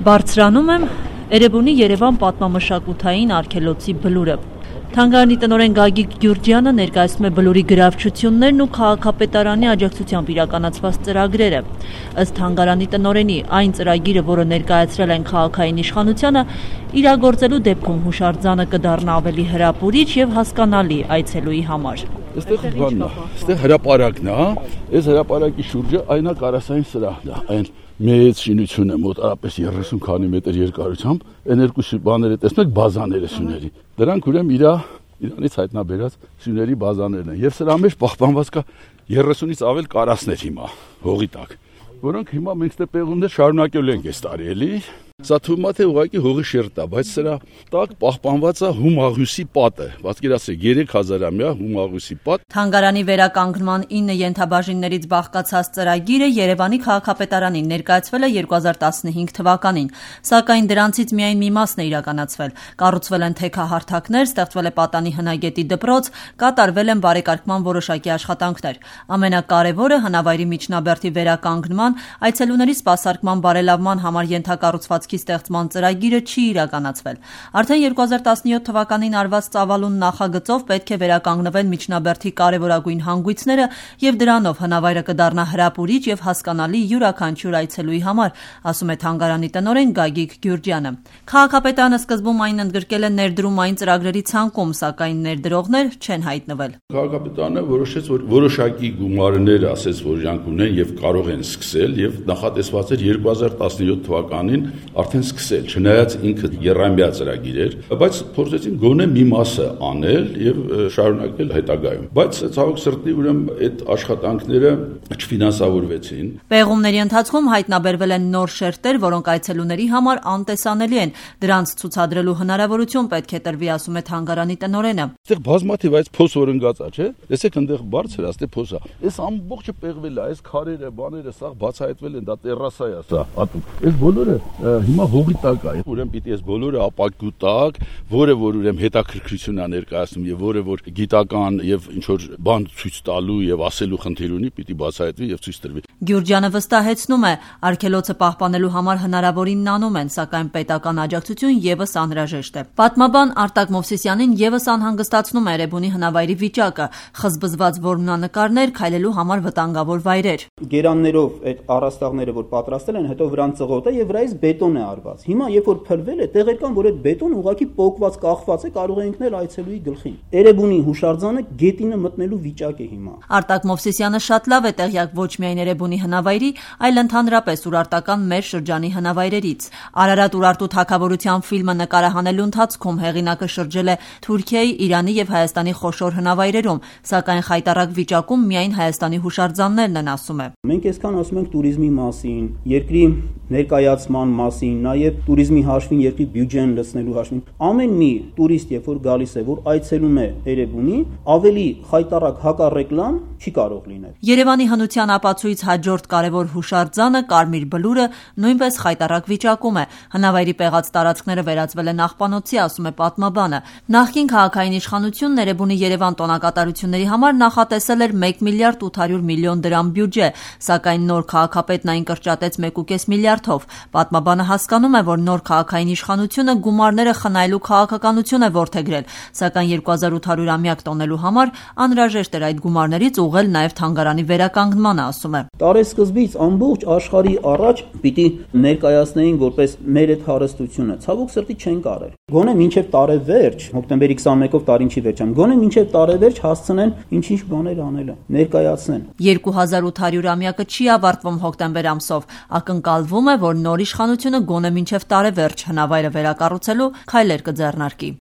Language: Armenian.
Բարձրանում եմ Էրեբունի Երևան պատմամշակութային արգելոցի բլուրը։ Թանգարանի տնօրեն Գագիկ Գյուրջյանը ներկայացնում է բլուրի գրավչություններն ու քաղաքապետարանի աջակցությամբ իրականացված ծրագրերը։ Ըստ թանգարանի տնօրենի, այն ծրագիրը, որը ներկայացրել են քաղաքային իշխանությանը, իրագործելու դեպքում հուշարձանը կդառնա ավելի հրապուրիչ եւ հասկանալի այցելուի համար։ Այստեղ հրապարակն է, այս հրապարակի շուրջը այնա կարասային սրահն է, այն մեծ շինությունը մոտարապես 30 քանի մետր երկարությամբ, այն երկու բաները տեսնեք բազաները սյուների։ Դրանք ուրեմն իրանից հայտնաբերած սյուների բազաներն են եւ սրա մեջ պահպանված կա 30-ից ավել կարասներ հիմա հողի տակ, որոնք հիմա մենք ստե պեղումներ շարունակելու ենք այս տարի էլի։ Սա թվում է թե ուղղակի հողի շերտ է, բայց սրա տակ պահպանված է Հումաղյուսի պատը, պատկերացրեք 3000-ամյա Հումաղյուսի պատ։ Թանգարանի վերականգնման 9 ենթաբաժիններից բաղկացած ծրագիրը Երևանի քաղաքապետարանին ներկայացվել է 2015 թվականին, սակայն դրանցից միայն մի մասն է իրականացվել։ Կառուցվել են թեքահարթակներ, ստեղծվել է պատանի հնագետի դպրոց, կատարվել են բարեկարգման որոշակի աշխատանքներ։ Ամենակարևորը հնավայրի միջնաբերդի վերականգնման, այցելուների սպասարկման բարելավման համար ենթակառուցվածքի ստեղծման ծրագիրը չի իրականացվել։ Արդեն 2017 թվականին արված ծավալուն նախագծով պետք է վերականգնվեն միջնաբերդի կարևորագույն հանգույցները եւ դրանով հնավայրը կդառնա հրապուրիչ եւ հասկանալի յուրաքանչյուր այցելուի համար, ասում է թանգարանի տնօրեն Գագիկ Գյուրջյանը։ Քաղաքապետարանը սկզբում այն ընդգրկել է ներդրումային ծրագրերի ցանկում, սակայն ներդրողներ չեն հայտնվել։ Քաղաքապետարանը որոշեց, որ որոշակի գումարներ ասեց, որ իրանք ունեն եւ կարող են սկսել եւ նախատեսված էր 2017 թվականին արդեն սկսել, չնայած ինքը երամյա ծրագիր էր, բայց փորձեցին գոնե մի մասը անել եւ շարունակել հետագայում։ Բայց ցավոք սրտի ուրեմն այդ աշխատանքները չֆինանսավորվեցին։ Պեղումների ընթացքում հայտնաբերվել են նոր շերտեր, որոնք այցելուների համար անտեսանելի են։ Դրանց ցուցադրելու հնարավորություն պետք է տրվի, ասում է թանգարանի տնօրենը։ Այստեղ բազմաթիվ այս փոս օրընկած է, չէ՞։ Տեսեք այնտեղ բարձր է, այստեղ փոսա։ Այս ամբողջը պեղվել է, այս քարերը, բաները սա բացահայտվել են, դա տերասա է սա, հատուկ։ Այս բոլորը հիմա հողի տակ է։ Ուրեմն պիտի այս բոլորը ապակու տակ, որը որ ուրեմն հետաքրքրություն է ներկայացնում եւ որը որ գիտական եւ ինչ որ բան ցույց տալու եւ ասելու խնդիր ունի, պիտի բացահայտվի եւ ցույց տրվի։ Գյուրջյանը վստահեցնում է, արգելոցը պահպանելու համար հնարավորինն անում են, սակայն պետական աջակցություն եւս անհրաժեշտ է։ Պատմաբան Արտակ Մովսիսյանին եւս անհանգստացնում է Էրեբունի հնավայրի վիճակը, խզբզված որմնանկարներ, քայլելու համար վտանգավոր վայրեր։ Գերաններով այդ առաստաղները, որ պատրաստել են, հետո վրան ծղոտ է եւ վրայից բետոն է արված։ Հիմա երբ որ փլվել է, տեղեր կան, որ այդ բետոնը ուղղակի պոկված, կախված է, կարող է ընկնել այցելուի գլխին։ Էրեբունի հուշարձանը գետինը մտնելու վիճակ է հիմա։ Արտակ Մովսիսյանը շատ լավ է տեղյակ ոչ միայն Էրեբունի հնավայրի, այլ ընդհանրապես Ուրարտական մեր շրջանի հնավայրերից։ Արարատ Ուրարտու թագավորության ֆիլմը նկարահանելու ընթացքում հեղինակը շրջել է Թուրքիայի, Իրանի եւ Հայաստանի խոշոր հնավայրերում, սակայն խայտառակ վիճակում միայն Հայաստանի հուշարձաններն են, ասում է։ Մենք այսքան ասում ենք туриզմի մասին, երկրի ներկայացման մասին, նաև туриզմի հաշվին, երկրի բյուջեն լցնելու հաշվին։ Ամեն մի տուրիստ, երբ որ գալիս է, որ այցելում է Էրեբունի, ավելի խայտառակ հակառեկլամ չի կարող լինել։ Երևանի հնության ապացույց հաջորդ կարևոր հուշարձանը Կարմիր բլուրը նույնպես խայտառակ վիճակում է։ Հնավայրի պեղած տարածքները վերածվել են աղբանոցի, ասում է պատմաբանը։ Նախկին քաղաքային իշխանությունն Էրեբունի Երևան տոնակատարությունների համար նախատեսել էր 1 միլիարդ 800 միլիոն դրամ բյուջե, սակայն նոր քաղաքապետն այն կրճատեց 1.5 միլիարդով։ Պատմաբանը հասկանում է, որ նոր քաղաքային իշխանությունը գումարները խնայելու քաղաքականություն է որդեգրել, սակայն 2800-ամյակ տոնելու համար անհրաժեշտ էր այդ գումարներից ուղղել նաև թանգարանի վերականգնմանը, ասում է։ Տարեսկզբից ամբողջ աշխարհի առաջ պիտի ներկայացնեին որպես մեր այդ հարստությունը։ Ցավոք սրտի չեն կարել։ Գոնե մինչև տարեվերջ, հոկտեմբերի 21-ով տարին չի վերջանում, գոնե մինչև տարեվերջ հասցնեն ինչ-ինչ բաներ անելը, ներկայացնեն։ 2800-ամյակը չի ավարտվում հոկտեմբեր ամսով, ակնկալվում է, որ նոր իշխանությունը գոնե մինչև տարեվերջ հնավայրը վերակառուցելու քայլեր կձեռնարկի։